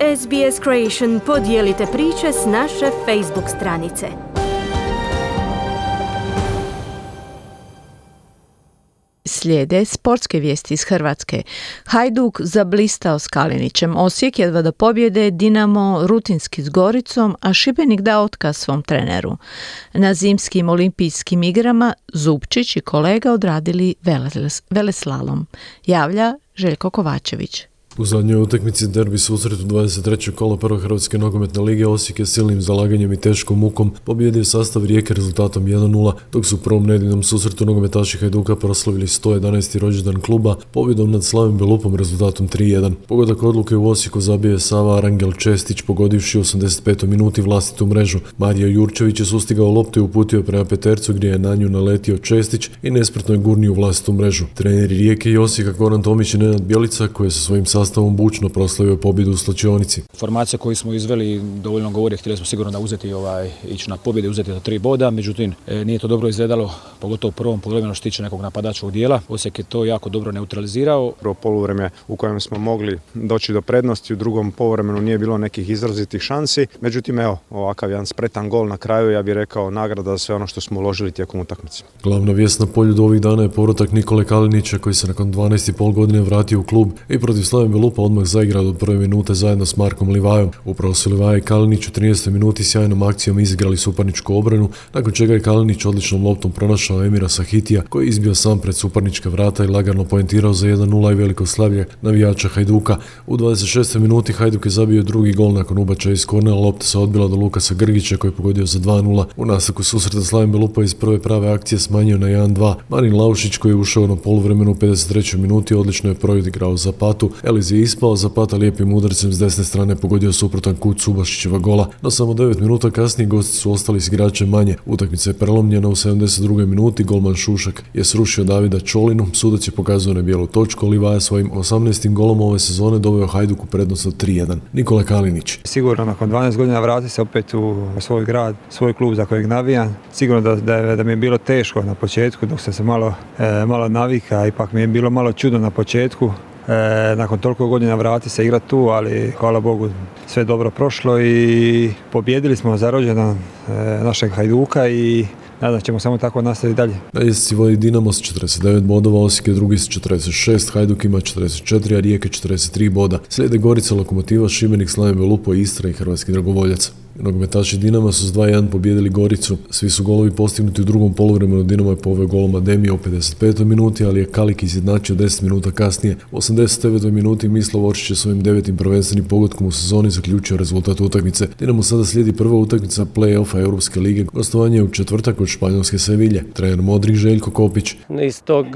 SBS Creation podijelite priče s naše Facebook stranice. Slijede sportske vijesti iz Hrvatske. Hajduk zablistao s Kalinićem. Osijek jedva da pobjede, Dinamo rutinski s Goricom, a Šibenik da otkaz svom treneru. Na zimskim olimpijskim igrama Zupčić i kolega odradili veleslalom. Javlja Željko Kovačević. U zadnjoj utakmici derbi susret u 23. kola prve Hrvatske nogometne lige Osijek je silnim zalaganjem i teškom mukom pobjedio sastav Rijeke rezultatom 1-0, dok su u prvom nedjeljnom susretu nogometaši Hajduka proslavili 111. rođendan kluba pobjedom nad Slavim Belupom rezultatom 3-1. Pogodak odluke u Osijeku zabio je Sava Arangel Čestić pogodivši u 85. minuti vlastitu mrežu. Mario Jurčević je sustigao loptu i uputio prema petercu gdje je na nju naletio Čestić i nespretno je gurnio u vlastitu mrežu. Treneri Rijeke i Osijeka Goran Tomić i Nenad Bjelica, koji sa svojim sastavom bučno proslavio pobjedu u slačionici. Formacija koju smo izveli dovoljno govori, htjeli smo sigurno da ići na pobjedu i uzeti do 3 boda, međutim nije to dobro izgledalo, pogotovo u prvom poluvremenu što tiče nekog napadačkog dijela. Osijek je to jako dobro neutralizirao. Prvo poluvreme u kojem smo mogli doći do prednosti, u drugom poluvremenu nije bilo nekih izrazitih šansi, međutim ovakav jedan spretan gol na kraju, ja bih rekao nagrada za sve ono što smo uložili tijekom utakmice. Glavna vijest na polju do ovih dana je povratak Nikole Kalinića, koji se nakon 12,5 godine vratio u klub i protiv Slave Belupa odmah zaigrao od prve minute zajedno s Markom Livajom. Upravo su Livaja i Kalinić u 13. minuti sjajnom akcijom izigrali suparničku obranu, nakon čega je Kalinić odličnom loptom pronašao Emira Sahitija, koji je izbio sam pred suparnička vrata i lagano poentirao za 1-0 i veliko slavlje navijača Hajduka. U 26. minuti Hajduk je zabio drugi gol nakon ubačaja iz kornera, lopta se odbila do Lukasa Grgića koji je pogodio za 2-0. U nastavku susreta Slavim Belupa iz prve prave akcije smanjio na 1-2. Marin Laušić, koji je ušao na poluvremenu u 53. minuti, odlično je proigrao Zapatu. Eliz je ispao, Zapata lijepim udarcem s desne strane pogodio suprotan kut Subašićeva gola, no samo 9 minuta kasnije gosti su ostali s igračem manje. Utakmica je prelomljena u 72. minuti, golman Šušak je srušio Davida Čolinu, sudac je pokazao na bijelu točku, Livaja svojim 18. golom ove sezone doveo Hajduk u prednost od 3-1. Nikola Kalinić. Sigurno nakon 12 godina vrati se opet u svoj grad, svoj klub za kojeg navijam. Sigurno da mi je bilo teško na početku dok sam se malo navika, ipak mi je bilo malo čudno na početku. Nakon toliko godina vrati se igrati tu, ali hvala Bogu sve dobro prošlo i pobjedili smo za rođendan našeg Hajduka i nadam ćemo samo tako nastaviti dalje. Na ljestvici vodi Dinamo s 49 bodova, Osijek je drugi s 46, Hajduk ima 44, a Rijeka 43 boda. Slijede Gorica, Lokomotiva, Šibenik, Slavim Belupo, Istra i Hrvatski Dragovoljac. Nogometaši Dinama su s 2-1 pobijedili Goricu. Svi su golovi postignuti u drugom poluvremenu. Dinamo je poveo golom Ademija u 55. minuti, ali je Kalik izjednačio 10 minuta kasnije. U 89. minuti Mislav Oršić je svojim 9. prvenstvenim pogodkom u sezoni zaključio rezultat utakmice. Dinamo sada slijedi prva utakmica play-offa Europske lige. Gostovanje je u četvrtak od španjolske Sevilje. Trener Modrić Željko Kopić. Iz tog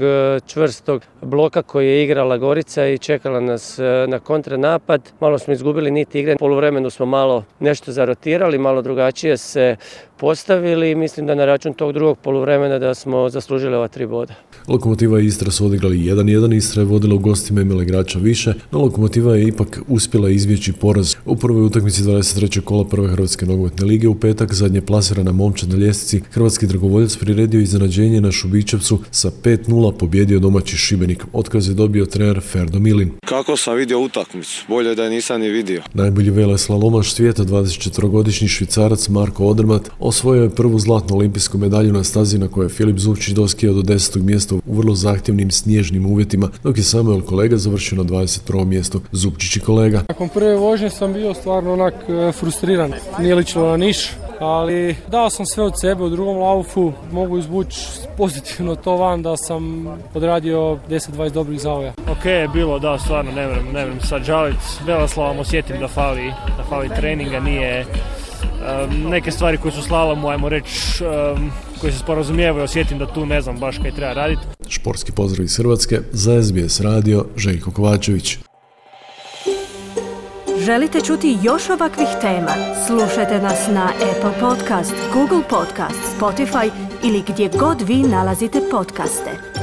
čvrstog bloka koji je igrala Gorica i čekala nas na kontranapad, malo smo izgubili nit igre. U poluvremenu smo malo nešto zarotirali, malo drugačije se postavili i mislim da na račun tog drugog poluvremena da smo zaslužili ova 3 boda. Lokomotiva i Istra su odigrali 1-1, Istra je vodila u gostima, imala igrača više, no Lokomotiva je ipak uspjela izbjeći poraz. U prvoj utakmici 23. kola prve Hrvatske nogometne lige u petak zadnje plasirana momčad na ljestvici Hrvatski Dragovoljac priredio iznenađenje na Šubićevcu, sa 5-0 pobjedio domaći Šibenik. Otkaz je dobio trener Ferdo Milin. Kako sam vidio utakmicu? Bolje da je nisam ni vidio. Najbolji veleslalomaš svijeta, 24-godišnji Švicarac Marko Odermatt, osvojio je prvu zlatnu olimpijsku medalju na stazi na kojoj je Filip Zupčić doskijao do 10. mjesta u vrlo zahtjevnim snježnim uvjetima, dok je Samuel Kolega završio na 21. mjestu. Zupčić i Kolega. Nakon prve vožnje sam bio stvarno frustriran. Nije ličilo na niš, ali dao sam sve od sebe. U drugom laufu mogu izvući pozitivno to van da sam odradio 10-20 dobrih zavoja. Ok je bilo, da, stvarno ne vrem sad žaliti. Veleslavom osjetim da fali treninga, nije neke stvari koje su slalomu, ajmo reći, koji se sporazumijevaju, osjetim da tu ne znam baš kaj treba raditi. Športski pozdrav iz Hrvatske, za SBS radio Željko Kovačević. Želite čuti još ovakvih tema? Slušajte nas na Apple Podcast, Google Podcast, Spotify ili gdje god vi nalazite podcaste.